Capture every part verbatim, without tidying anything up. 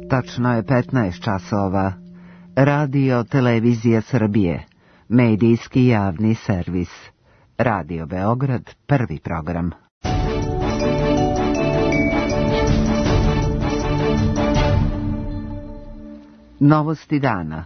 Tačno je petnaest časova. Radio Televizija Srbije. Medijski javni servis. Radio Beograd, prvi program. Novosti dana.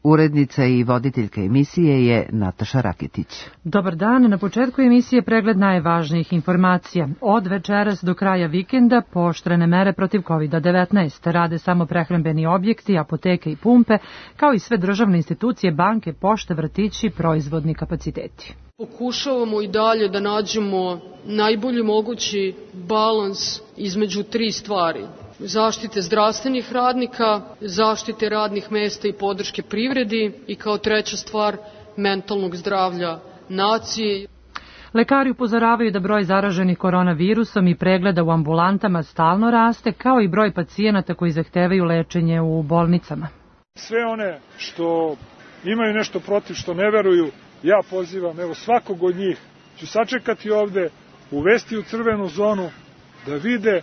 Urednica i voditeljka emisije je Nataša Raketić. Dobar dan, na početku emisije pregled najvažnijih informacija. Od večeras do kraja vikenda pooštrene mere protiv kovid devetnaest. Rade samo prehrambeni objekti, apoteke i pumpe, kao i sve državne institucije, banke, pošte, vrtići, proizvodni kapaciteti. Pokušavamo i dalje da nađemo najbolji mogući balans između tri stvari. Zaštite zdravstvenih radnika, zaštite radnih mesta i podrške privredi i kao treća stvar mentalnog zdravlja nacije. Lekari upozoravaju da broj zaraženih koronavirusom i pregleda u ambulantama stalno raste, kao i broj pacijenata koji zahtevaju lečenje u bolnicama. Sve one što imaju nešto protiv, što ne veruju, ja pozivam, evo svakog od njih ću sačekati ovde, uvesti u crvenu zonu, da vide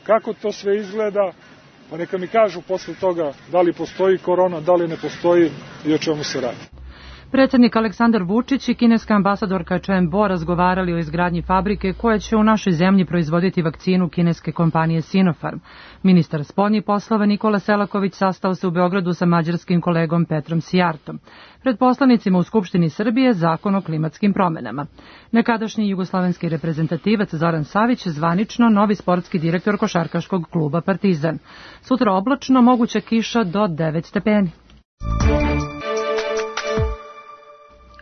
kako to sve izgleda, pa neka mi kažu posle toga da li postoji korona, da li ne postoji i o čemu se radi. Predsjednik Aleksandar Vučić i kineska ambasadorka Chen Bo razgovarali o izgradnji fabrike koja će u našoj zemlji proizvoditi vakcinu kineske kompanije Sinopharm. Ministar spoljnih poslova Nikola Selaković sastao se u Beogradu sa mađarskim kolegom Petrom Sijartom. Pred poslanicima u Skupštini Srbije zakon o klimatskim promenama. Nekadašnji jugoslovenski reprezentativac Zoran Savić zvanično novi sportski direktor košarkaškog kluba Partizan. Sutra oblačno, moguća kiša do devet stepeni.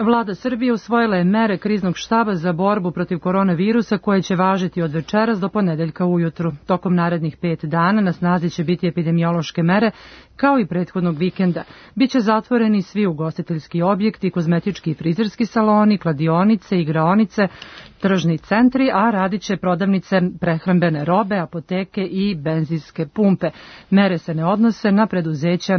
Vlada Srbije usvojila je mere kriznog štaba za borbu protiv koronavirusa koje će važiti od večeras do ponedeljka ujutru. Tokom narednih pet dana na snazi će biti epidemiološke mere kao i prethodnog vikenda. Biće zatvoreni svi ugostiteljski objekti, kozmetički i frizerski saloni, kladionice, igraonice, tržni centri, a radit će prodavnice prehrambene robe, apoteke i benzinske pumpe. Mere se ne odnose na preduzeća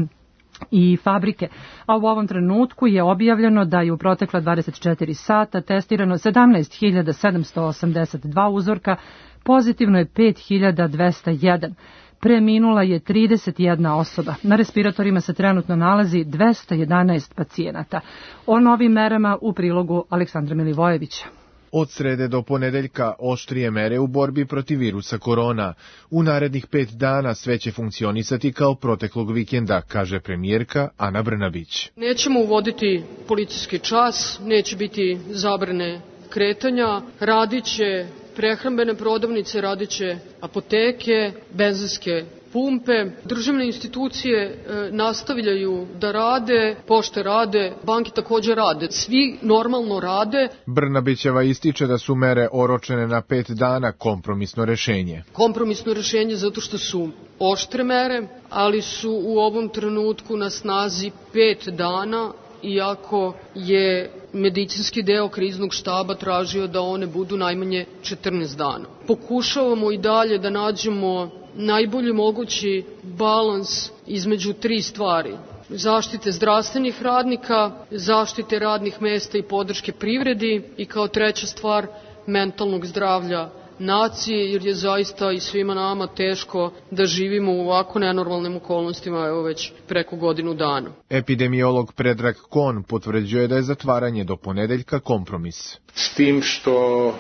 i fabrike, a u ovom trenutku je objavljeno da je u protekla dvadeset četiri sata testirano sedamnaest hiljada sedamsto osamdeset dva uzorka, pozitivno je pet hiljada dvesta jedan. Preminula je trideset jedna osoba. Na respiratorima se trenutno nalazi dvesta jedanaest pacijenata. O novim merama u prilogu Aleksandra Milivojevića. Od srede do ponedeljka oštrije mere u borbi protiv virusa korona. U narednih pet dana sve će funkcionisati kao proteklog vikenda, kaže premijerka Ana Brnabić. Nećemo uvoditi policijski čas, neće biti zabrane kretanja, radit će prehrambene prodavnice, radit će apoteke, benzinske pumpe. Državne institucije e, nastavljaju da rade, pošte rade, banke također rade. Svi normalno rade. Brnabićeva ističe da su mere oročene na pet dana kompromisno rešenje. Kompromisno rešenje zato što su oštre mere, ali su u ovom trenutku na snazi pet dana, iako je medicinski deo kriznog štaba tražio da one budu najmanje četrnaest dana. Pokušavamo i dalje da nađemo najbolji mogući balans između tri stvari. Zaštite zdravstvenih radnika, zaštite radnih mesta i podrške privredi i kao treća stvar mentalnog zdravlja nacije, jer je zaista i svima nama teško da živimo u ovako nenormalnim okolnostima evo već preko godinu dana. Epidemiolog Predrag Kon potvrđuje da je zatvaranje do ponedeljka kompromis. S tim što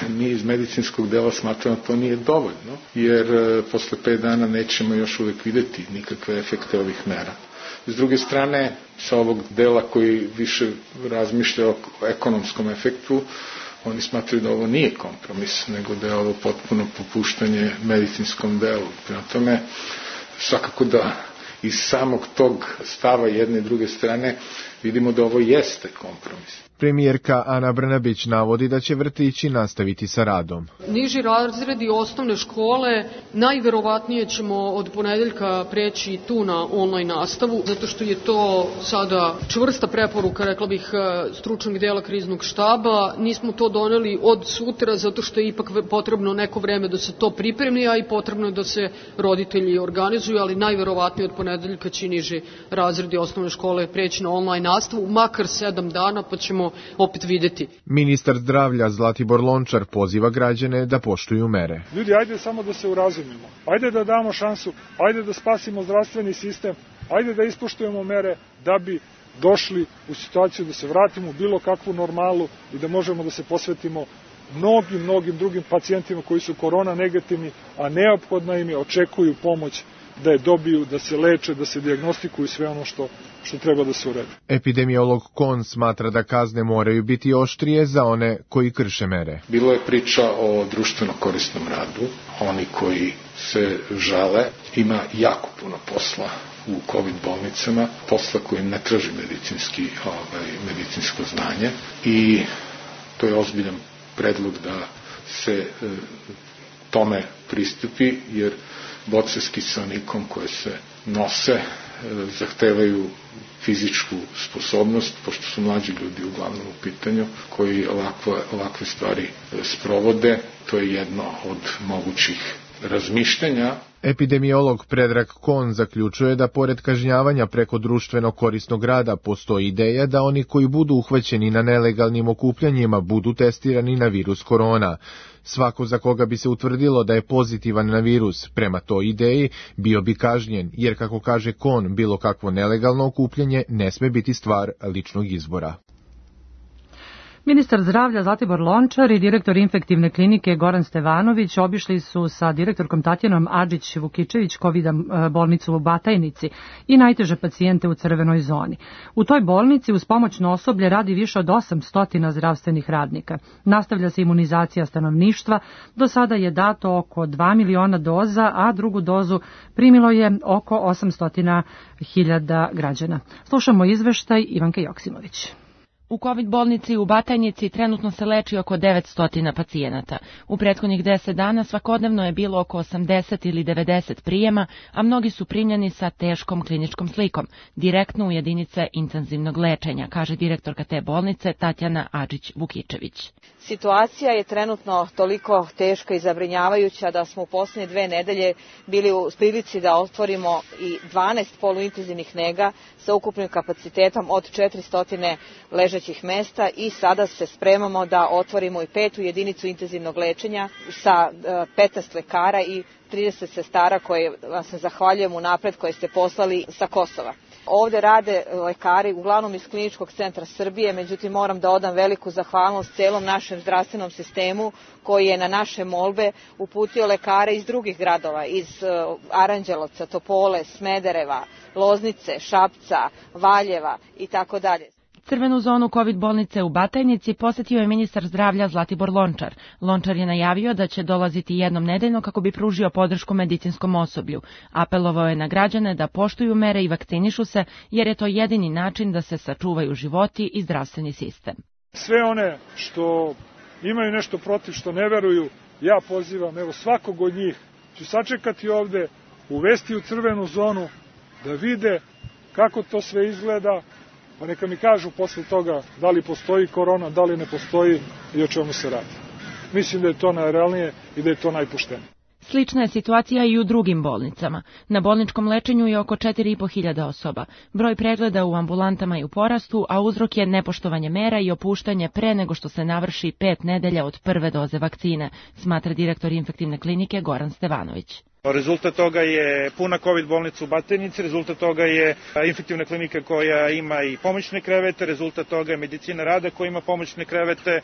mi iz medicinskog dela smatramo da to nije dovoljno, jer posle pet dana nećemo još uvijek videti nikakve efekte ovih mera. S druge strane, sa ovog dela koji više razmišlja o ekonomskom efektu, oni smatraju da ovo nije kompromis, nego da je ovo potpuno popuštanje medicinskom delu. Prema tome, svakako da iz samog tog stava jedne i druge strane vidimo da ovo jeste kompromis. Premijerka Ana Brnabić navodi da će vrtići nastaviti sa radom. Niži razredi osnovne škole najverovatnije ćemo od ponedeljka preći i tu na online nastavu, zato što je to sada čvrsta preporuka, rekla bih, stručnog dela kriznog štaba. Nismo to doneli od sutra, zato što je ipak potrebno neko vreme da se to pripremi, a i potrebno je da se roditelji organizuju, ali najverovatnije od ponedeljka će niži razredi osnovne škole preći na online nastavu, makar sedam dana, pa ćemo ćemo opet videti. Ministar zdravlja Zlatibor Lončar poziva građane da poštuju mere. Ljudi, ajde samo da se urazumimo. Ajde da damo šansu, ajde da spasimo zdravstveni sistem, ajde da ispoštujemo mere da bi došli u situaciju da se vratimo u bilo kakvu normalu i da možemo da se posvetimo mnogim, mnogim drugim pacijentima koji su korona negativni, a neophodna im je, očekuju pomoć da je dobiju, da se leče, da se dijagnostikuju sve ono što, što treba da se uredi. Epidemiolog Kon smatra da kazne moraju biti oštrije za one koji krše mere. Bilo je priča o društveno korisnom radu. Oni koji se žale, ima jako puno posla u COVID bolnicama, posla koji ne traži medicinski, ovaj, medicinsko znanje i to je ozbiljan predlog da se e, tome pristupi, jer boce s kiselnikom koje se nose e, zahtevaju fizičku sposobnost, pošto su mlađi ljudi uglavnom u pitanju, koji ovakve, ovakve stvari e, sprovode. To je jedno od mogućih razmišljanja. Epidemiolog Predrag Kon zaključuje da pored kažnjavanja preko društveno korisnog rada postoji ideja da oni koji budu uhvaćeni na nelegalnim okupljanjima budu testirani na virus korona. Svako za koga bi se utvrdilo da je pozitivan na virus prema toj ideji bio bi kažnjen, jer kako kaže Kon, bilo kakvo nelegalno okupljanje ne sme biti stvar ličnog izbora. Ministar zdravlja Zlatibor Lončar i direktor infektivne klinike Goran Stevanović obišli su sa direktorkom Tatjanom Adžić-Vukičević COVID bolnicu u Batajnici i najteže pacijente u crvenoj zoni. U toj bolnici uz pomoćno osoblje radi više od osamsto zdravstvenih radnika. Nastavlja se imunizacija stanovništva, do sada je dato oko dva miliona doza, a drugu dozu primilo je oko osamsto hiljada građana. Slušamo izveštaj Ivanke Joksimović. U COVID bolnici u Batajnici trenutno se leči oko devetsto pacijenata. U prethodnih deset dana svakodnevno je bilo oko osamdeset ili devedeset prijema, a mnogi su primljeni sa teškom kliničkom slikom, direktno u jedinice intenzivnog lečenja, kaže direktorka te bolnice Tatjana Adžić-Vukičević. Situacija je trenutno toliko teška i zabrinjavajuća da smo u posljednje dve nedelje bili u prilici da otvorimo i dvanaest poluintenzivnih nega sa ukupnim kapacitetom od četiristo ležećih mesta i sada se spremamo da otvorimo i petu jedinicu intenzivnog lečenja sa petnaest lekara i trideset sestara koje vam se zahvaljujem unapred koje ste poslali sa Kosova. Ovde rade lekari uglavnom iz Kliničkog centra Srbije, međutim moram da odam veliku zahvalnost celom našem zdravstvenom sistemu koji je na naše molbe uputio lekare iz drugih gradova, iz Aranđelovca, Topole, Smedereva, Loznice, Šapca, Valjeva i tako dalje. Crvenu zonu COVID bolnice u Batajnici posetio je ministar zdravlja Zlatibor Lončar. Lončar je najavio da će dolaziti jednom nedeljno kako bi pružio podršku medicinskom osoblju. Apelovao je na građane da poštuju mere i vakcinišu se, jer je to jedini način da se sačuvaju životi i zdravstveni sistem. Sve one što imaju nešto protiv, što ne veruju, ja pozivam, evo svakog od njih ću sačekati ovde, uvesti u crvenu zonu, da vide kako to sve izgleda, pa neka mi kažu posle toga da li postoji korona, da li ne postoji i o čemu se radi. Mislim da je to najrealnije i da je to najpoštenije. Slična je situacija i u drugim bolnicama. Na bolničkom lečenju je oko četiri i po hiljade osoba. Broj pregleda u ambulantama je u porastu, a uzrok je nepoštovanje mera i opuštanje pre nego što se navrši pet nedelja od prve doze vakcine, smatra direktor infektivne klinike Goran Stevanović. Rezultat toga je puna COVID bolnica u Batajnici, rezultat toga je infektivna klinika koja ima i pomoćne krevete, rezultat toga je medicina rada koja ima pomoćne krevete,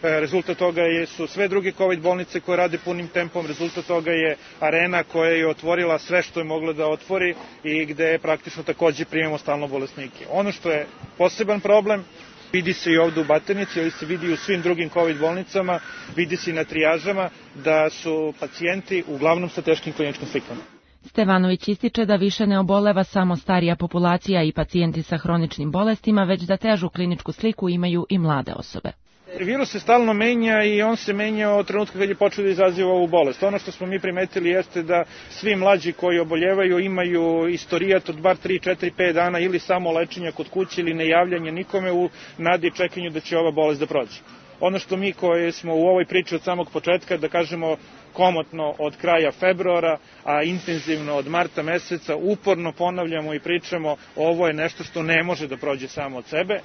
rezultat toga je, su sve druge COVID bolnice koje rade punim tempom, rezultat toga je arena koja je otvorila sve što je mogla da otvori i gde praktično takođe primamo stalno bolesnike. Ono što je poseban problem, vidi se i ovde u Batajnici, ali se vidi i u svim drugim COVID bolnicama, vidi se i na trijažama da su pacijenti uglavnom sa teškim kliničkim slikama. Stevanović ističe da više ne oboleva samo starija populacija i pacijenti sa hroničnim bolestima, već da težu kliničku sliku imaju i mlade osobe. Virus se stalno menja i on se menja od trenutka kad je počeo da izaziva ovu bolest. Ono što smo mi primetili jeste da svi mlađi koji oboljevaju imaju istorijat od bar tri, četiri, pet dana ili samo lečenja kod kuće ili nejavljanje nikome u nadi i čekanju da će ova bolest da prođe. Ono što mi koji smo u ovoj priči od samog početka, da kažemo komotno od kraja februara, a intenzivno od marta meseca, uporno ponavljamo i pričamo, ovo je nešto što ne može da prođe samo od sebe.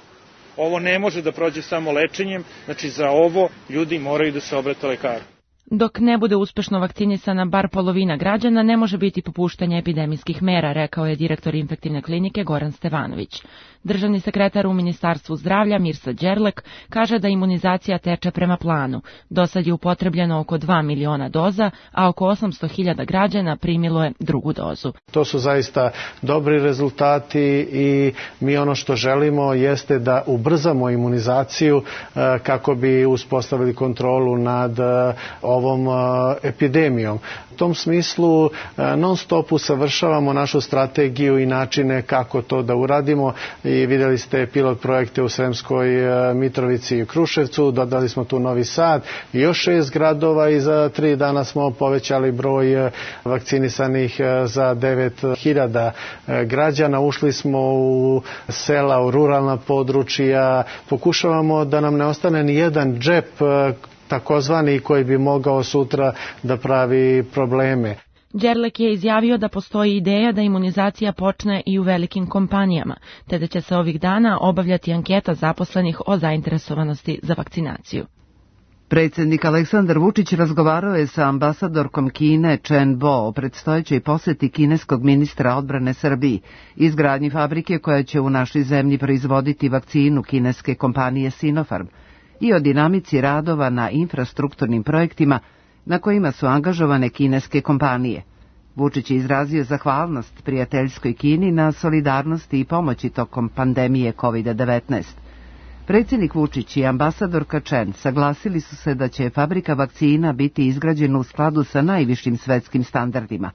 Ovo ne može da prođe samo lečenjem, znači za ovo ljudi moraju da se obrate lekaru. Dok ne bude uspešno vakcinisana bar polovina građana, ne može biti popuštanja epidemijskih mera, rekao je direktor infektivne klinike Goran Stevanović. Državni sekretar u Ministarstvu zdravlja Mirsa Đerlek kaže da imunizacija teče prema planu. Do sad je upotrebljeno oko dva miliona doza, a oko osamsto hiljada građana primilo je drugu dozu. To su zaista dobri rezultati i mi ono što želimo jeste da ubrzamo imunizaciju kako bi uspostavili kontrolu nad ovom epidemijom. U tom smislu non stop usavršavamo našu strategiju i načine kako to da uradimo i vidjeli ste pilot projekte u Sremskoj Mitrovici i Kruševcu, dodali smo tu Novi Sad i još šest gradova i za tri dana smo povećali broj vakcinisanih za devet hiljada građana. Ušli smo u sela, u ruralna područja, pokušavamo da nam ne ostane ni jedan džep takozvani koji bi mogao sutra da pravi probleme. Đerlek je izjavio da postoji ideja da imunizacija počne i u velikim kompanijama, te da će se ovih dana obavljati anketa zaposlenih o zainteresovanosti za vakcinaciju. Predsjednik Aleksandar Vučić razgovarao je sa ambasadorkom Kine Chen Bo o predstojećoj poseti kineskog ministra odbrane Srbiji, izgradnji fabrike koja će u našoj zemlji proizvoditi vakcinu kineske kompanije Sinopharm i o dinamici radova na infrastrukturnim projektima na kojima su angažovane kineske kompanije. Vučić je izrazio zahvalnost prijateljskoj Kini na solidarnosti i pomoći tokom pandemije kovid devetnaest. Predsjednik Vučić i ambasadorka Chen saglasili su se da će fabrika vakcina biti izgrađena u skladu sa najvišim svetskim standardima.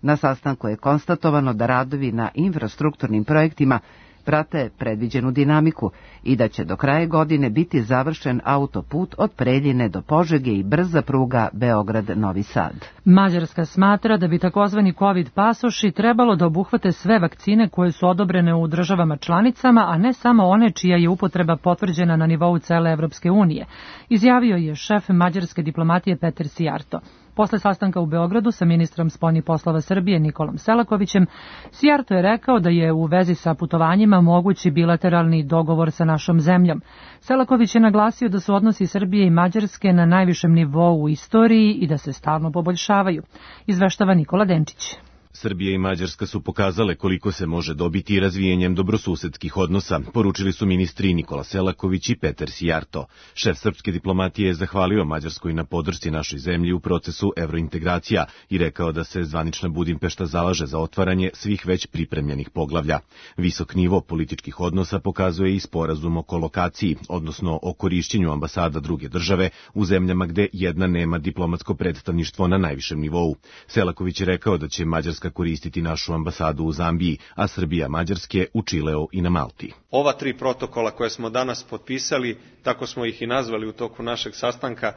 Na sastanku je konstatovano da radovi na infrastrukturnim projektima prate predviđenu dinamiku i da će do kraja godine biti završen autoput od Preljine do Požege i brza pruga Beograd-Novi Sad. Mađarska smatra da bi takozvani COVID pasoši trebalo da obuhvate sve vakcine koje su odobrene u državama članicama, a ne samo one čija je upotreba potvrđena na nivou cele Evropske unije, izjavio je šef mađarske diplomatije Peter Sijarto. Posle sastanka u Beogradu sa ministrom spoljnih poslova Srbije Nikolom Selakovićem, Sijarto je rekao da je u vezi sa putovanjima mogući bilateralni dogovor sa našom zemljom. Selaković je naglasio da su odnosi Srbije i Mađarske na najvišem nivou u istoriji i da se stalno poboljšavaju. Izveštava Nikola Denčić. Srbija i Mađarska su pokazale koliko se može dobiti razvijenjem dobrosusedskih odnosa, poručili su ministri Nikola Selaković i Peter Sijarto. Šef srpske diplomatije je zahvalio Mađarskoj na podršci našoj zemlji u procesu evrointegracija i rekao da se zvanična Budimpešta zalaže za otvaranje svih već pripremljenih poglavlja. Visok nivo političkih odnosa pokazuje i sporazum o kolokaciji, odnosno o korišćenju ambasada druge države u zemljama gde jedna nema diplomatsko predstavništvo na najvišem nivou. Selaković je rekao da će Mađarska koristiti našu ambasadu u Zambiji, a Srbija Mađarske u Čileu i na Malti. Ova tri protokola koje smo danas potpisali, tako smo ih i nazvali u toku našeg sastanka,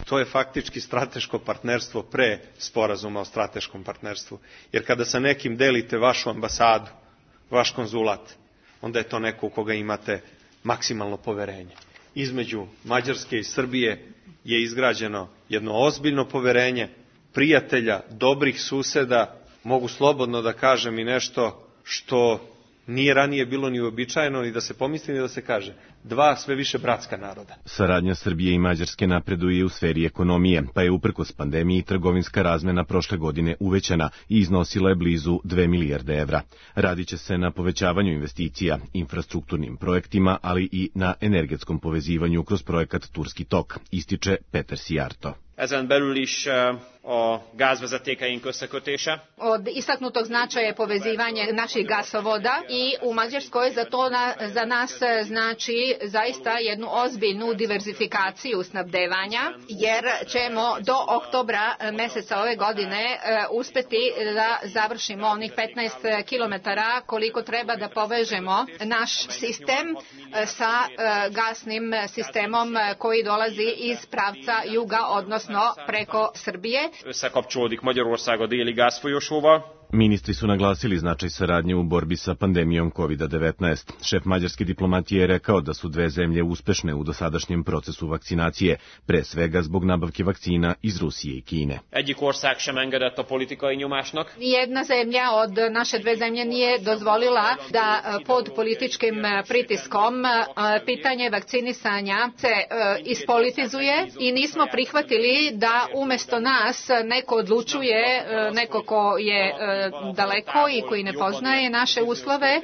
to je faktički strateško partnerstvo pre sporazuma o strateškom partnerstvu. Jer kada sa nekim delite vašu ambasadu, vaš konzulat, onda je to neko u koga imate maksimalno poverenje. Između Mađarske i Srbije je izgrađeno jedno ozbiljno poverenje, prijatelja, dobrih suseda, mogu slobodno da kažem i nešto što nije ranije bilo ni uobičajeno ni da se pomisli ni da se kaže. Dva sve više bratska naroda. Saradnja Srbije i Mađarske napreduje u sferi ekonomije, pa je uprkos pandemiji trgovinska razmena prošle godine uvećana i iznosila je blizu dve milijarde evra. Radit će se na povećavanju investicija, infrastrukturnim projektima, ali i na energetskom povezivanju kroz projekat Turski tok, ističe Peter Sijarto. Ezen belül is a gázvezetékeink összekötése. Od istaknutog značaja je povezivanje naših gasovoda i u Mađarskoj za to na, za nas znači zaista jednu ozbiljnu diverzifikaciju snabdevanja, jer ćemo do oktobra meseca ove godine uspeti da završimo onih petnaest kilometara koliko treba da povežemo naš sistem sa gasnim sistemom koji dolazi iz pravca juga, odnosno odnosno preko Srbije. Összekapcsolódik Magyarország a déli gázfolyosóval. Ministri su naglasili značaj saradnje u borbi sa pandemijom kovid devetnaest. Šef mađarske diplomatije je rekao da su dve zemlje uspešne u dosadašnjem procesu vakcinacije, pre svega zbog nabavke vakcina iz Rusije i Kine. Egyik ország sem engedett a politikai nyomásnak. Nijedna zemlja od naše dve zemlje nije dozvolila da pod političkim pritiskom pitanje vakcinisanja se ispolitizuje i nismo prihvatili da umesto nas neko odlučuje, neko ko je daleko i koji ne poznaje naše uslove,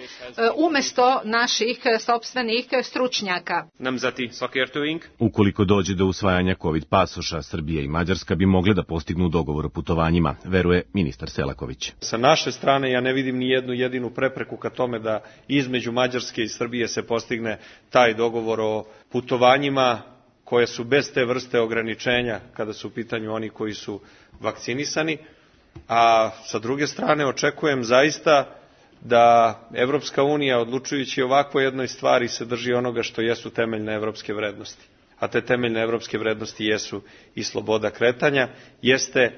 umesto naših sopstvenih stručnjaka. Nemzeti szakértőink. Ukoliko dođe do usvajanja COVID pasoša, Srbija i Mađarska bi mogle da postignu dogovor o putovanjima, veruje ministar Selaković. Sa naše strane ja ne vidim ni jednu jedinu prepreku ka tome da između Mađarske i Srbije se postigne taj dogovor o putovanjima koje su bez te vrste ograničenja kada su u pitanju oni koji su vakcinisani. A sa druge strane očekujem zaista da Evropska unija, odlučujući ovako jednoj stvari, se drži onoga što jesu temeljne evropske vrednosti. A te temeljne evropske vrednosti jesu i sloboda kretanja, jeste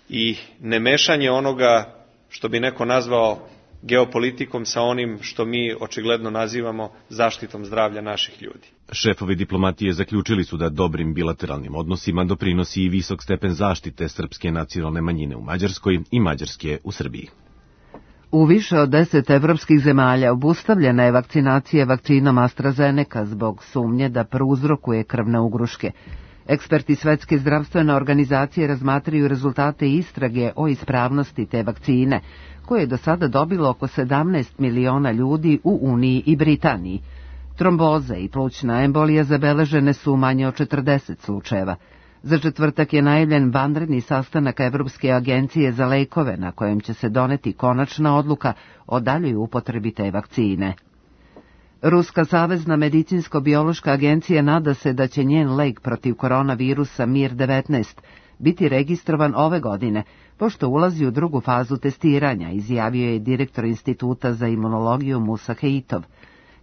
i nemešanje onoga što bi neko nazvao geopolitikom sa onim što mi očigledno nazivamo zaštitom zdravlja naših ljudi. Šefovi diplomatije zaključili su da dobrim bilateralnim odnosima doprinosi i visok stepen zaštite srpske nacionalne manjine u Mađarskoj i mađarske u Srbiji. U više od deset evropskih zemalja obustavljena je vakcinacija vakcinom AstraZeneca zbog sumnje da prouzrokuje krvne ugruške. Eksperti Svetske zdravstvene organizacije razmatraju rezultate istrage o ispravnosti te vakcine, koje je do sada dobilo oko sedamnaest miliona ljudi u Uniji i Britaniji. Tromboze i plućna embolija zabeležene su u manje od četrdeset slučajeva. Za četvrtak je najavljen vanredni sastanak Evropske agencije za lekove na kojem će se doneti konačna odluka o daljoj upotrebi te vakcine. Ruska savezna medicinsko-biološka agencija nada se da će njen lek protiv koronavirusa Mir devetnaest biti registrovan ove godine, pošto ulazi u drugu fazu testiranja, izjavio je direktor Instituta za imunologiju Musa Heitov.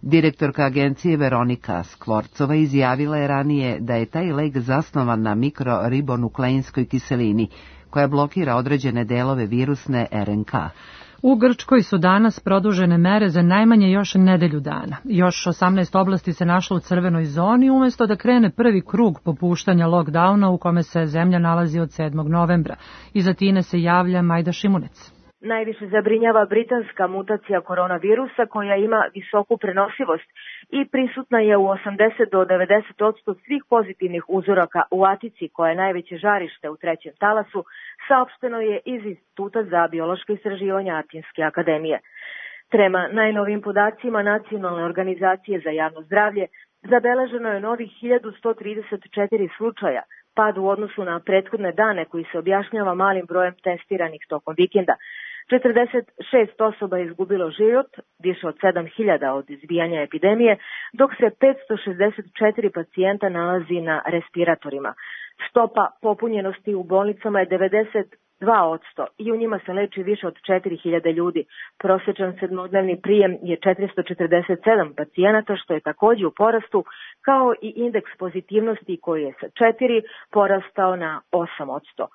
Direktorka agencije Veronika Skvorcova izjavila je ranije da je taj lek zasnovan na mikroribonukleinskoj kiselini, koja blokira određene delove virusne R N K. U Grčkoj su danas produžene mere za najmanje još nedelju dana. Još osamnaest oblasti se našlo u crvenoj zoni, umjesto da krene prvi krug popuštanja lockdowna u kome se zemlja nalazi od sedmog novembra. Iz Atine se javlja Majda Šimunec. Najviše zabrinjava britanska mutacija koronavirusa koja ima visoku prenosivost i prisutna je u osamdeset do devedeset posto svih pozitivnih uzoraka u Atici, koja je najveće žarište u trećem talasu, saopšteno je iz Instituta za biološko istraživanja Atinske akademije. Prema najnovim podacima Nacionalne organizacije za javno zdravlje, zabeleženo je novih hiljadu sto trideset četiri slučaja, pad u odnosu na prethodne dane koji se objašnjava malim brojem testiranih tokom vikenda. četrdeset šest osoba je izgubilo život, više od sedam hiljada od izbijanja epidemije, dok se petsto šezdeset četiri pacijenta nalazi na respiratorima. Stopa popunjenosti u bolnicama je devedeset dva posto i u njima se leči više od četiri hiljade ljudi. Prosječan sedmodnevni prijem je četiristo četrdeset sedam pacijenata, što je također u porastu, kao i indeks pozitivnosti koji je sa četiri porastao na osam posto.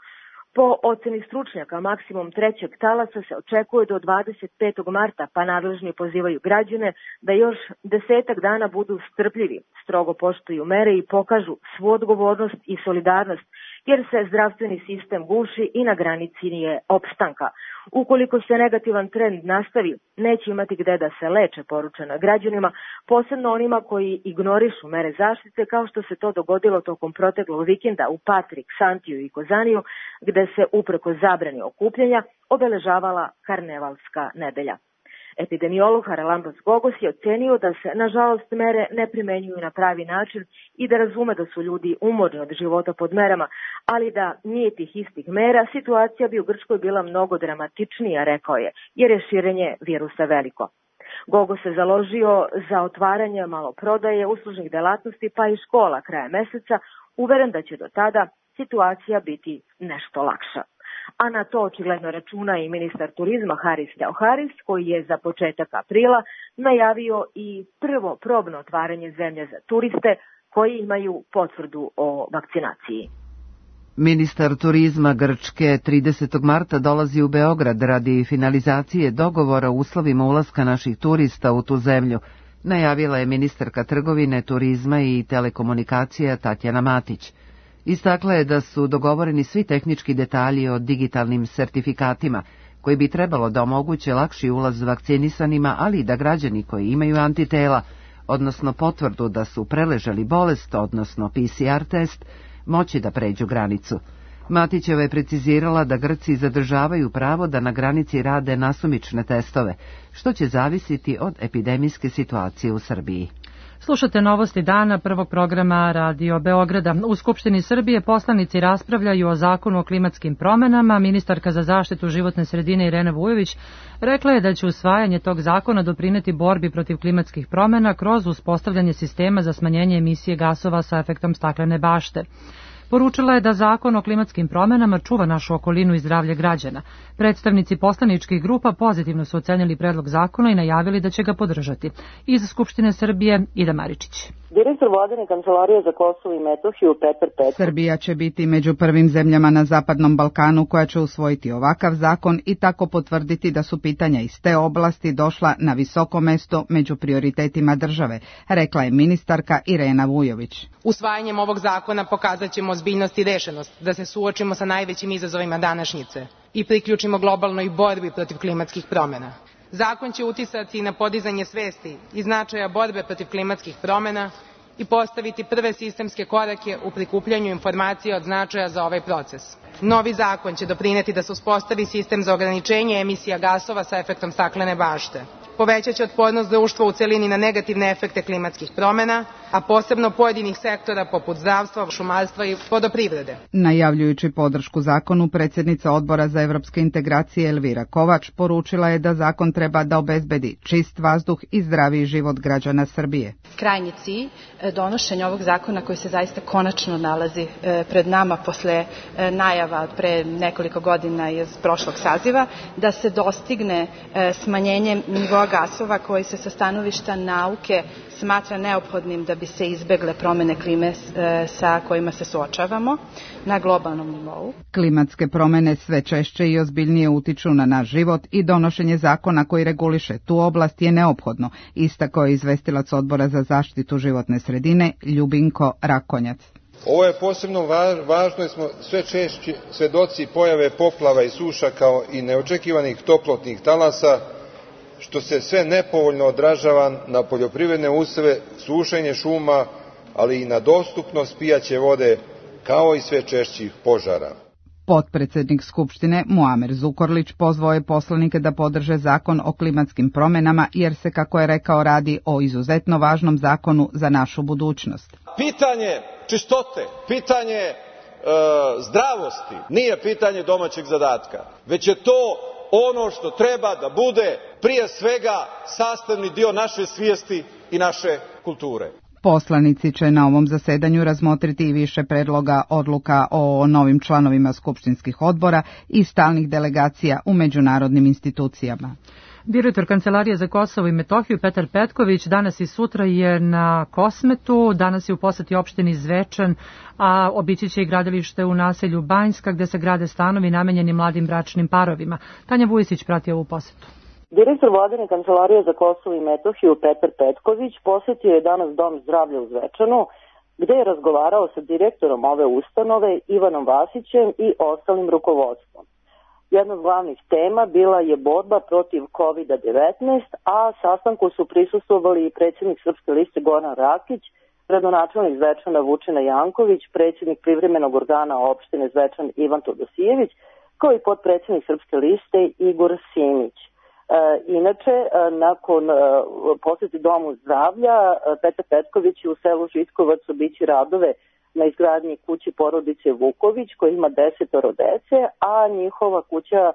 Po oceni stručnjaka, maksimum trećeg talasa se očekuje do dvadeset petog marta, pa nadležni pozivaju građane da još desetak dana budu strpljivi, strogo poštuju mere i pokažu svu odgovornost i solidarnost, jer se zdravstveni sistem guši i na granici je opstanka. Ukoliko se negativan trend nastavi, neće imati gde da se leče, poručeno građanima, posebno onima koji ignorišu mere zaštite, kao što se to dogodilo tokom proteklog vikenda u Patrik, Santiju i Kozaniju, gde se upreko zabrani okupljanja obeležavala karnevalska nedelja. Epidemiolog Haralambos Gogos je ocenio da se, nažalost, mere ne primenjuju na pravi način i da razume da su ljudi umorni od života pod merama, ali da nije tih istih mera, situacija bi u Grčkoj bila mnogo dramatičnija, rekao je, jer je širenje virusa veliko. Gogos se založio za otvaranje maloprodaje, uslužnih delatnosti pa i škola kraja meseca, uveren da će do tada situacija biti nešto lakša. A na to očigledno računa i ministar turizma Haris Theoharis, koji je za početak aprila najavio i prvo probno otvaranje zemlje za turiste koji imaju potvrdu o vakcinaciji. Ministar turizma Grčke tridesetog marta dolazi u Beograd radi finalizacije dogovora o uslovima ulaska naših turista u tu zemlju, najavila je ministarka trgovine, turizma i telekomunikacija Tatjana Matić. Istakla je da su dogovoreni svi tehnički detalji o digitalnim sertifikatima, koji bi trebalo da omoguće lakši ulaz vakcinisanima, ali i da građani koji imaju antitela, odnosno potvrdu da su preležali bolest, odnosno P C R test, moći da pređu granicu. Matićeva je precizirala da Grci zadržavaju pravo da na granici rade nasumične testove, što će zavisiti od epidemijske situacije u Srbiji. Slušate novosti dana prvog programa Radio Beograda. U Skupštini Srbije poslanici raspravljaju o zakonu o klimatskim promenama. Ministarka za zaštitu životne sredine Irena Vujović rekla je da će usvajanje tog zakona doprineti borbi protiv klimatskih promena kroz uspostavljanje sistema za smanjenje emisije gasova sa efektom staklene bašte. Poručila je da zakon o klimatskim promenama čuva našu okolinu i zdravlje građana. Predstavnici poslaničkih grupa pozitivno su ocenili predlog zakona i najavili da će ga podržati. Iz Skupštine Srbije, Ida Maričić. Direktor Vladine kancelarije za Kosovo i Metohiju Petar Petković. Srbija će biti među prvim zemljama na Zapadnom Balkanu koja će usvojiti ovakav zakon i tako potvrditi da su pitanja iz te oblasti došla na visoko mesto među prioritetima države, rekla je ministarka Irena Vujović. Usvajanjem ovog zakona pokazat ćemo ozbiljnost i rešenost da se suočimo sa najvećim izazovima današnjice i priključimo globalnoj borbi protiv klimatskih promena. Zakon će uticati na podizanje svesti i značaja borbe protiv klimatskih promena i postaviti prve sistemske korake u prikupljanju informacija od značaja za ovaj proces. Novi zakon će doprineti da se uspostavi sistem za ograničenje emisija gasova sa efektom staklene bašte. Povećaće otpornost društva u celini na negativne efekte klimatskih promena, a posebno pojedinih sektora poput zdravstva, šumarstva i vodoprivrede. Najavljujući podršku zakonu, predsjednica Odbora za evropske integracije Elvira Kovač poručila je da zakon treba da obezbedi čist vazduh i zdraviji život građana Srbije. Krajnji cilj donošenja ovog zakona koji se zaista konačno nalazi pred nama posle najava pre nekoliko godina iz prošlog saziva, da se dostigne smanjenje nivoa gasova koji se sa stanovišta nauke smatra neophodnim da bi se izbegle promene klime sa kojima se suočavamo na globalnom nivou. Klimatske promene sve češće i ozbiljnije utiču na naš život i donošenje zakona koji reguliše tu oblast je neophodno, istakao je izvestilac Odbora za zaštitu životne sredine Ljubinko Rakonjac. Ovo je posebno važno jer smo sve češće svedoci pojave poplava i suša kao i neočekivanih toplotnih talasa, što se sve nepovoljno odražava na poljoprivredne useve, sušenje šuma, ali i na dostupnost pijaće vode, kao i sve češćih požara. Potpredsednik Skupštine Muamer Zukorlić pozvao je poslanike da podrže zakon o klimatskim promenama jer se, kako je rekao, radi o izuzetno važnom zakonu za našu budućnost. Pitanje čistote, pitanje e, zdravosti nije pitanje domaćeg zadatka, već je to ono što treba da bude prije svega sastavni dio naše svijesti i naše kulture. Poslanici će na ovom zasedanju razmotriti i više predloga odluka o novim članovima skupštinskih odbora i stalnih delegacija u međunarodnim institucijama. Direktor Kancelarije za Kosovo i Metohiju Petar Petković danas i sutra je na Kosmetu, danas je u poseti opštini Zvečan, a obići će i gradilište u naselju Banjska gde se grade stanovi namenjeni mladim bračnim parovima. Tanja Vujisić prati ovu posetu. Direktor Vladine kancelarije za Kosovo i Metohiju Petar Petković posetio je danas Dom zdravlja u Zvečanu, gde je razgovarao sa direktorom ove ustanove Ivanom Vasićem i ostalim rukovodstvom. Jedna od glavnih tema bila je borba protiv kovid devetnaest, a sastanku su prisustvovali i predsjednik Srpske liste Goran Rakić, gradonačelnik Zvečana Vučina Janković, predsjednik privremenog organa opštine Zvečan Ivan Todosijević, kao i potpredsjednik Srpske liste Igor Simić. E, inače, e, nakon e, posjeti Domu zdravlja, e, Petar Petković u selu Žitkovac obići radove na izgradnji kući porodice Vuković, koja ima desetoro dece, a njihova kuća e,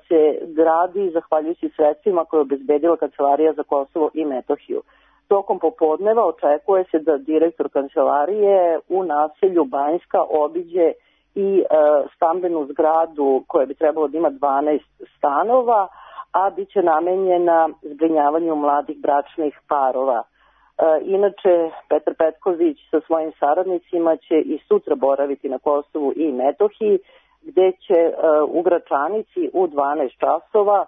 se gradi zahvaljujući sredstvima koje je obezbedila Kancelarija za Kosovo i Metohiju. Tokom popodneva očekuje se da direktor kancelarije u naselju Banjska obiđe i e, stambenu zgradu koja bi trebalo da ima dvanaest stanova, a bit će namenjena zbrinjavanju mladih bračnih parova. Inače, Petar Petković sa svojim saradnicima će i sutra boraviti na Kosovu i Metohiji, gde će u Gračanici u dvanaest časova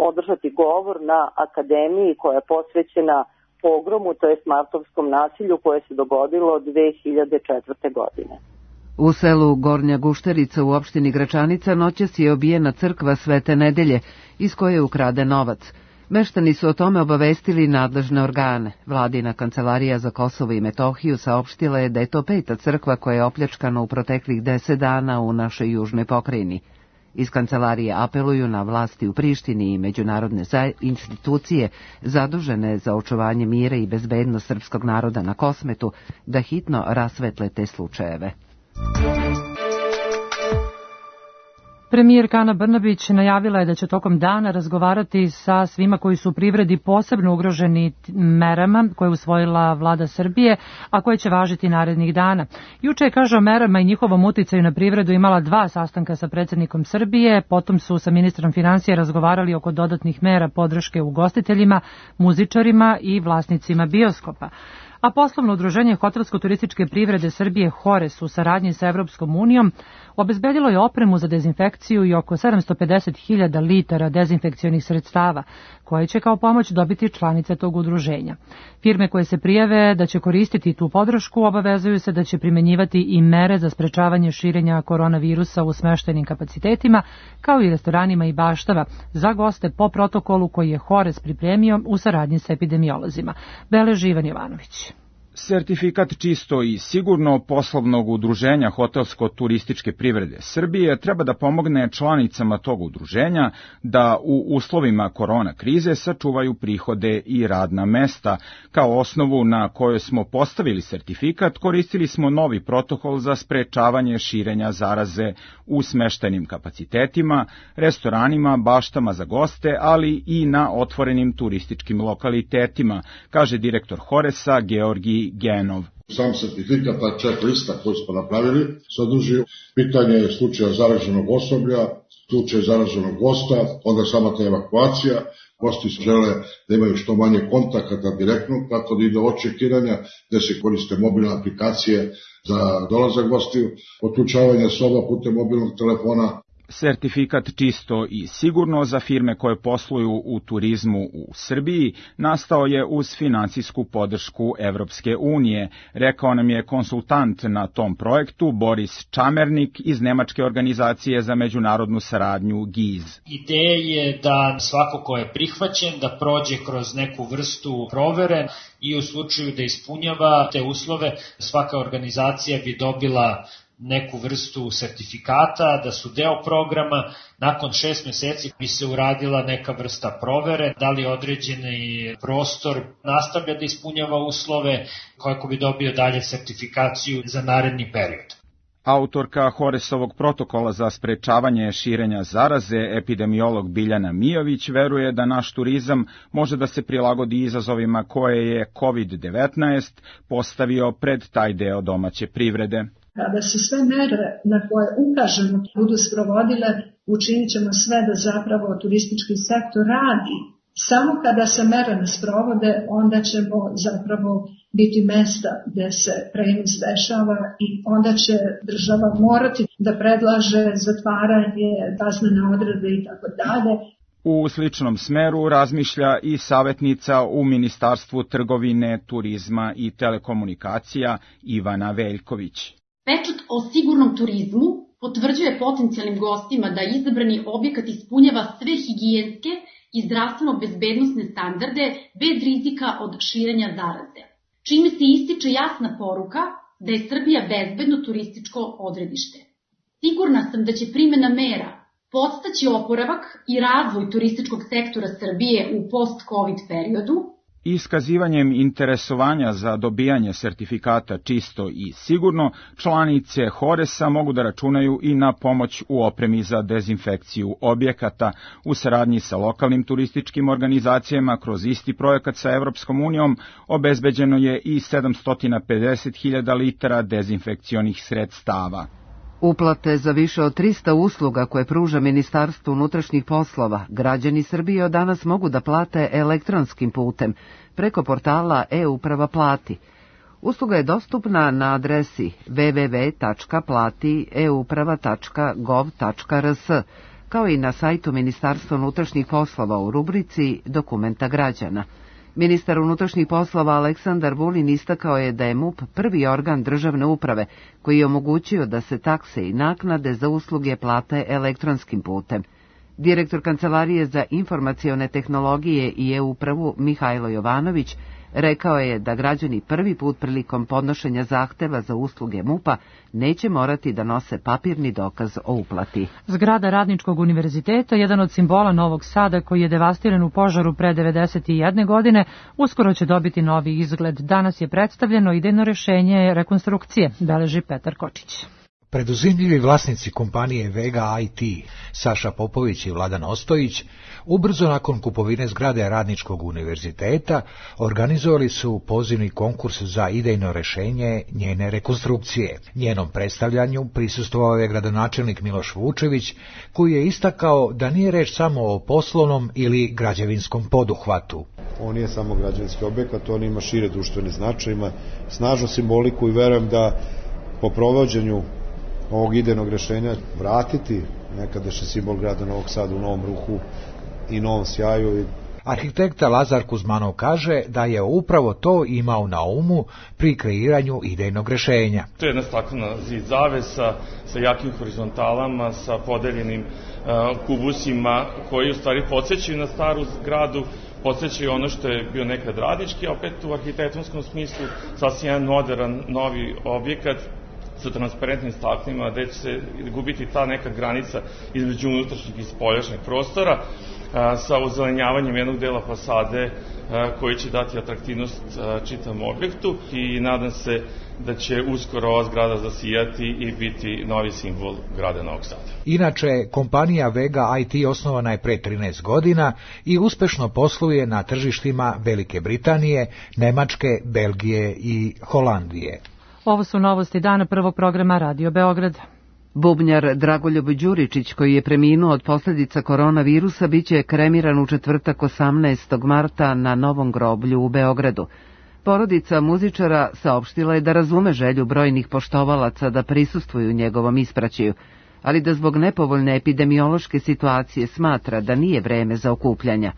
održati govor na akademiji koja je posvećena pogromu, to jest martovskom nasilju koje se dogodilo dve hiljade četvrte. godine. U selu Gornja Gušterica u opštini Gračanica noćas je obijena crkva Svete Nedelje, iz koje je ukraden novac. Meštani su o tome obavestili nadležne organe. Vladina kancelarija za Kosovo i Metohiju saopštila je da je to peta crkva koja je opljačkana u proteklih deset dana u našoj južnoj pokrajini. Iz kancelarije apeluju na vlasti u Prištini i međunarodne institucije zadužene za očuvanje mira i bezbednost srpskog naroda na Kosmetu da hitno rasvetle te slučajeve. Premijerka Ana Brnabić najavila je da će tokom dana razgovarati sa svima koji su u privredi posebno ugroženi merama koje je usvojila vlada Srbije, a koje će važiti narednih dana. Juče je, kaže, o merama i njihovom uticaju na privredu imala dva sastanka sa predsjednikom Srbije, potom su sa ministrom finansija razgovarali oko dodatnih mera podrške ugostiteljima, muzičarima i vlasnicima bioskopa. A poslovno udruženje hotelsko-turističke privrede Srbije Hores u saradnji sa Evropskom unijom obezbedilo je opremu za dezinfekciju i oko sedamsto pedeset hiljada litara dezinfekcionih sredstava, koje će kao pomoć dobiti članice tog udruženja. Firme koje se prijave da će koristiti tu podršku obavezuju se da će primenjivati i mere za sprečavanje širenja koronavirusa u smeštajnim kapacitetima, kao i restoranima i baštava, za goste po protokolu koji je Hores pripremio u saradnji sa epidemiolozima. Beleži Ivan Jovanović. Sertifikat čisto i sigurno poslovnog udruženja hotelsko-turističke privrede Srbije treba da pomogne članicama tog udruženja da u uslovima korona krize sačuvaju prihode i radna mesta. Kao osnovu na kojoj smo postavili sertifikat, koristili smo novi protokol za sprečavanje širenja zaraze u smeštajnim kapacitetima, restoranima, baštama za goste, ali i na otvorenim turističkim lokalitetima, kaže direktor Horesa Georgij Genov. Sam sertifikat, ta ček lista koju smo napravili, sadrži pitanje slučaja zaraženog osoblja, slučaj zaraženog gosta, onda sama ta evakuacija. Gosti žele da imaju što manje kontakata direktno, tako da ide očekiranja, gde se koriste mobilne aplikacije za dolazak gostiju, otključavanje soba putem mobilnog telefona. Sertifikat čisto i sigurno za firme koje posluju u turizmu u Srbiji nastao je uz finansijsku podršku Evropske unije, rekao nam je konsultant na tom projektu Boris Čamernik iz Nemačke organizacije za međunarodnu saradnju G I Z. Ideja je da svako ko je prihvaćen da prođe kroz neku vrstu provere i u slučaju da ispunjava te uslove, svaka organizacija bi dobila neku vrstu sertifikata, da su deo programa. Nakon šest meseci bi se uradila neka vrsta provere, da li određeni prostor nastavlja da ispunjava uslove, kako bi dobio dalje sertifikaciju za naredni period. Autorka Horesovog protokola za sprečavanje širenja zaraze, epidemiolog Biljana Mijović, veruje da naš turizam može da se prilagodi izazovima koje je kovid devetnaest postavio pred taj deo domaće privrede. Kada se sve mere na koje ukažemo budu sprovodile, učinit ćemo sve da zapravo turistički sektor radi. Samo kada se mere ne sprovode, onda ćemo zapravo biti mesta gde se prenos dešava i onda će država morati da predlaže zatvaranje, kaznene odredbe i tako dalje. U sličnom smeru razmišlja i savjetnica u Ministarstvu trgovine, turizma i telekomunikacija Ivana Veljković. Pečat o sigurnom turizmu potvrđuje potencijalnim gostima da izabrani objekat ispunjava sve higijenske i zdravstveno-bezbednosne standarde bez rizika od širenja zaraze, čime se ističe jasna poruka da je Srbija bezbedno turističko odredište. Sigurna sam da će primjena mera podstaći oporavak i razvoj turističkog sektora Srbije u post-covid periodu. Iskazivanjem interesovanja za dobijanje sertifikata čisto i sigurno, članice Horesa mogu da računaju i na pomoć u opremi za dezinfekciju objekata. U saradnji sa lokalnim turističkim organizacijama kroz isti projekat sa Evropskom unijom obezbeđeno je i sedamsto pedeset hiljada litara dezinfekcionih sredstava. Uplate za više od trista usluga koje pruža Ministarstvo unutrašnjih poslova građani Srbije od danas mogu da plate elektronskim putem preko portala e-uprava plati. Usluga je dostupna na adresi w w w tačka plati e uprava tačka gov tačka r s, kao i na sajtu Ministarstva unutrašnjih poslova u rubrici Dokumenta građana. Ministar unutrašnjih poslova Aleksandar Vulin istakao je da je M U P prvi organ državne uprave koji je omogućio da se takse i naknade za usluge plate elektronskim putem. Direktor Kancelarije za informacione tehnologije i e-upravu Mihajlo Jovanović rekao je da građani prvi put prilikom podnošenja zahteva za usluge M U P-a neće morati da nose papirni dokaz o uplati. Zgrada Radničkog univerziteta, jedan od simbola Novog Sada koji je devastiran u požaru pre devedeset jedne godine, uskoro će dobiti novi izgled. Danas je predstavljeno idejno rešenje rekonstrukcije, beleži Petar Kočić. Preduzimljivi vlasnici kompanije Vega I T, Saša Popović i Vladan Ostojić, ubrzo nakon kupovine zgrade Radničkog univerziteta organizovali su pozivni konkurs za idejno rešenje njene rekonstrukcije. Njenom predstavljanju prisustvovao je gradonačelnik Miloš Vučević, koji je istakao da nije reč samo o poslovnom ili građevinskom poduhvatu. On nije samo građevinski objekat, on ima šire društvene značaje, ima snažnu simboliku i verujem da po provođenju ovog idejnog rešenja vratiti nekadašnji simbol grada Novog Sada u novom ruhu i novom sjaju. Arhitekta Lazar Kuzmanov kaže da je upravo to imao na umu pri kreiranju idejnog rešenja. To je jedna staklena zid zavesa sa jakim horizontalama, sa podeljenim uh, kubusima koji u stvari podsjećaju na staru zgradu, podsjećaju ono što je bio nekad Radnički, a opet u arhitektonskom smislu sasvim jedan modern, novi objekat sa transparentnim staklima, gde će se gubiti ta neka granica između unutrašnjeg i spoljašnjeg prostora, a, sa ozelenjavanjem jednog dela fasade a, koji će dati atraktivnost a, čitavom objektu i nadam se da će uskoro ova zgrada zasijati i biti novi simbol grada Novog Sada. Inače, kompanija Vega I T osnovana je pre trinaest godina i uspešno posluje na tržištima Velike Britanije, Nemačke, Belgije i Holandije. Ovo su novosti dana prvog programa Radio Beograd. Bubnjar Dragoljub Đuričić, koji je preminuo od posljedica koronavirusa, biće kremiran u četvrtak osamnaestog marta na Novom groblju u Beogradu. Porodica muzičara saopštila je da razume želju brojnih poštovalaca da prisustvuju njegovom ispraćaju, ali da zbog nepovoljne epidemiološke situacije smatra da nije vreme za okupljanja.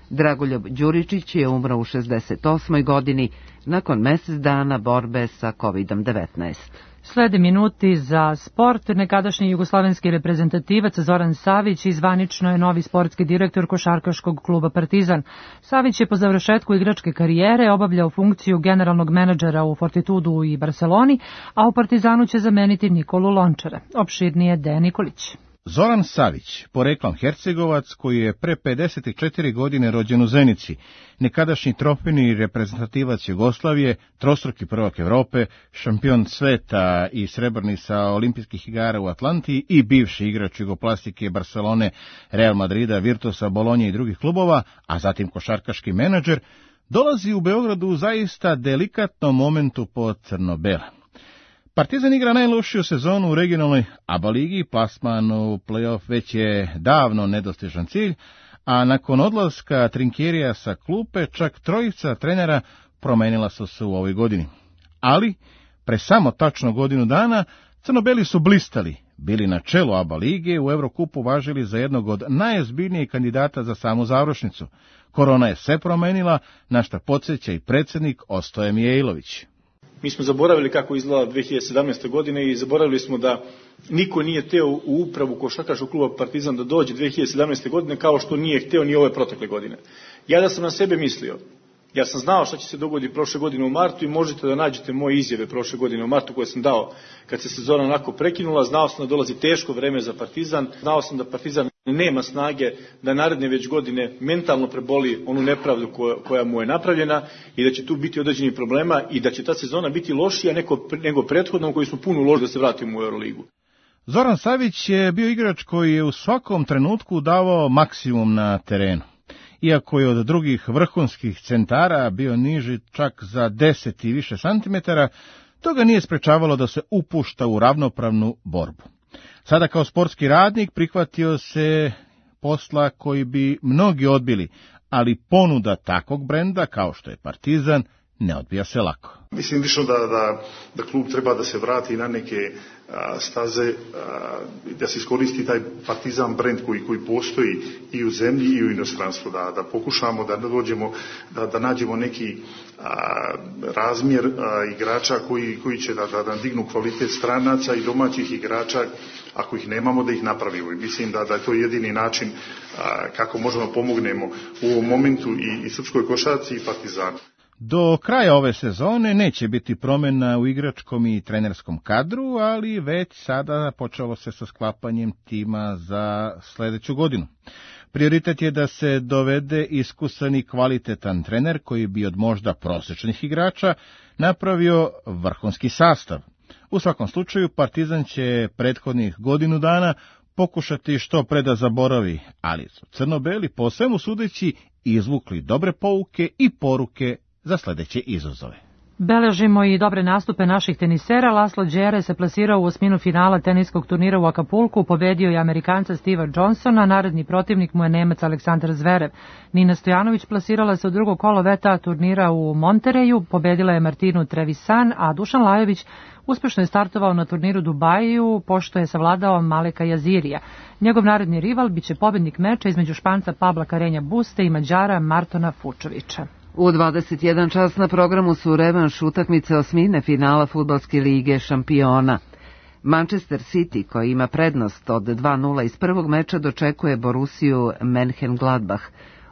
Dragoljub Đuričić je umro u šezdeset osmoj godini nakon mesec dana borbe sa kovid devetnaest. Slede minuti za sport. Nekadašnji jugoslovenski reprezentativac Zoran Savić izvanično je novi sportski direktor košarkaškog kluba Partizan. Savić je po završetku igračke karijere obavljao funkciju generalnog menadžera u Fortitudu i Barceloni, a u Partizanu će zameniti Nikolu Lončara. Opširnije Dejan Nikolić. Zoran Savić, poreklom Hercegovac, koji je pre pedeset četiri godine rođen u Zenici, nekadašnji trofejni reprezentativac Jugoslavije, trostruki prvak Evrope, šampion sveta i srebrni sa olimpijskih igara u Atlanti i bivši igrač jugoplastike Barcelone, Real Madrida, Virtusa, Bolonje i drugih klubova, a zatim košarkaški menadžer, dolazi u Beogradu u zaista delikatnom momentu po crno-bela. Partizan igra najlošiju sezonu u regionalnoj A B A ligi, plasman u play-off već je davno nedostižan cilj, a nakon odlaska Trinkjerija sa klupe čak trojica trenera promenila su se u ovoj godini. Ali, pre samo tačno godinu dana, crno-beli su blistali, bili na čelu A B A lige, u Evrokupu važili za jednog od najozbiljnijih kandidata za samu završnicu. Korona je sve promenila, na šta podsjeća i predsjednik Ostoje Mijailović. Mi smo zaboravili kako izgleda dve hiljade sedamnaeste. godine i zaboravili smo da niko nije hteo u upravu košarkaškog kluba Partizan da dođe dve hiljade sedamnaeste. godine kao što nije hteo ni ove protekle godine. Ja da sam na sebe mislio, ja sam znao šta će se dogoditi prošle godine u martu i možete da nađete moje izjave prošle godine u martu koje sam dao kad se sezona onako prekinula. Znao sam da dolazi teško vreme za Partizan, znao sam da Partizan nema snage da naredne već godine mentalno preboli onu nepravdu koja, koja mu je napravljena i da će tu biti određenih problema i da će ta sezona biti lošija nego, nego prethodnom koju smo puno uložili da se vratimo u Euroligu. Zoran Savić je bio igrač koji je u svakom trenutku davao maksimum na terenu. Iako je od drugih vrhunskih centara bio niži čak za deset i više santimetara, to ga nije sprečavalo da se upušta u ravnopravnu borbu. Sada kao sportski radnik prihvatio se posla koji bi mnogi odbili, ali ponuda takvog brenda kao što je Partizan ne odbija se lako. Mislim više da, da, da klub treba da se vrati na neke a, staze, a, da se iskoristi taj Partizan brend koji, koji postoji i u zemlji i u inostranstvu, da, da pokušamo da dođemo, da, da nađemo neki a, razmjer a, igrača koji, koji će da, da, da dignu kvalitet stranaca i domaćih igrača, ako ih nemamo da ih napravimo. I mislim da, da je to jedini način a, kako možemo pomognemo u ovom momentu i, i srpskoj košarci i Partizanu. Do kraja ove sezone neće biti promjena u igračkom i trenerskom kadru, ali već sada počelo se sa sklapanjem tima za sljedeću godinu. Prioritet je da se dovede iskusan i kvalitetan trener koji bi od možda prosječnih igrača napravio vrhunski sastav. U svakom slučaju Partizan će prethodnih godinu dana pokušati što pre da zaboravi, ali su crno-beli po svemu sudeći izvukli dobre pouke i poruke za sljedeće izazove. Beležimo i dobre nastupe naših tenisera. Laslo Đere se plasirao u osminu finala teniskog turnira u Akapulku, pobedio je Amerikanca Steva Johnsona, naredni protivnik mu je Nemac Aleksandar Zverev. Nina Stojanović plasirala se u drugo kolo V T A turnira u Montereju, pobedila je Martinu Trevisan, a Dušan Lajović uspešno je startovao na turniru Dubaju, pošto je savladao Maleka Jazirija. Njegov naredni rival biće pobednik meča između Španca Pabla Karenja Buste i Mađara Martona Fučovića. U dvadeset jedan čas na programu su revanš utakmice osmine finala Fudbalske lige šampiona. Manchester City, koji ima prednost od dva nula iz prvog meča, dočekuje Borussiju Mönchengladbach.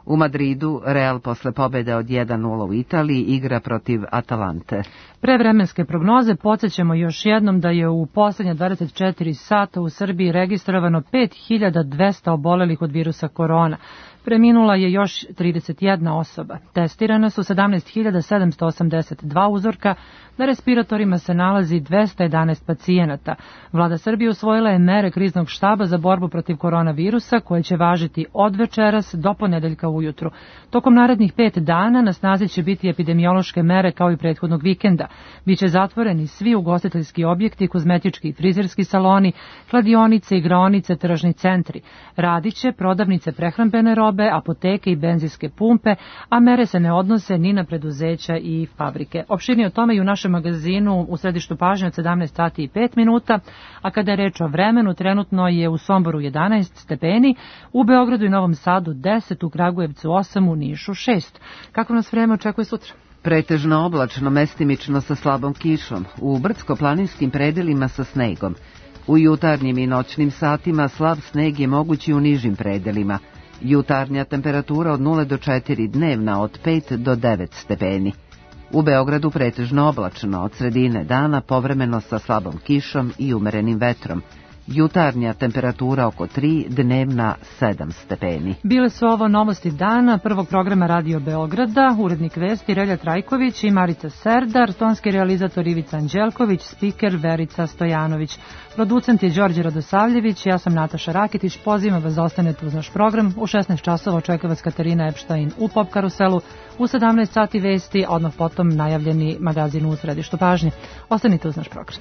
U Madridu Real posle pobjede od jedan nula u Italiji igra protiv Atalante. Pre vremenske prognoze podsjećamo još jednom da je u posljednje dvadeset četiri sata u Srbiji registrovano pet hiljada dvesta obolelih od virusa korona. Preminula je još trideset jedna osoba. Testirane su sedamnaest hiljada sedamsto osamdeset dva uzorka, na respiratorima se nalazi dvesta jedanaest pacijenata. Vlada Srbije usvojila je mere kriznog štaba za borbu protiv koronavirusa koje će važiti od večeras do ponedeljka ujutru. Tokom narednih pet dana na snazi će biti epidemiološke mere kao i prethodnog vikenda. Biće zatvoreni svi ugostiteljski objekti, kozmetički i frizerski saloni, kladionice, igraonice, tržni centri. Radiće prodavnice prehrambene robe, apoteke i benzinske pumpe, a mere se ne odnose ni na preduzeća i fabrike. Opširnije o tome i u našem magazinu u središtu pažnje od sedamnaest sati i pet minuta, a kada je reč o vremenu, trenutno je u Somboru jedanaest stepeni, u Beogradu i Novom Sadu deset, u Kragujevcu osam, u Nišu šest. Kako nas vreme očekuje sutra? Pretežno oblačno, mestimično sa slabom kišom, u brdsko-planinskim predelima sa snegom. U jutarnjim i noćnim satima slab sneg je mogući u nižim predelima. Jutarnja temperatura od nula do četiri, dnevna od pet do devet stepeni. U Beogradu pretežno oblačno, od sredine dana povremeno sa slabom kišom i umerenim vetrom. Jutarnja temperatura oko tri, dnevna sedam stepeni. Bile su ovo novosti dana prvog programa Radio Beograda, urednik vesti Relja Trajković i Marica Serdar, tonski realizator Ivica Anđelković, spiker Verica Stojanović. Producent je Đorđe Radosavljević, ja sam Nataša Rakitić, pozivam vas da ostanete uz naš program. U šesnaest časova očekuje vas Katarina Epštajn u Pop karuselu, u sedamnaest sati vesti, odmah potom najavljeni magazin u središtu pažnje. Ostanite uz naš program.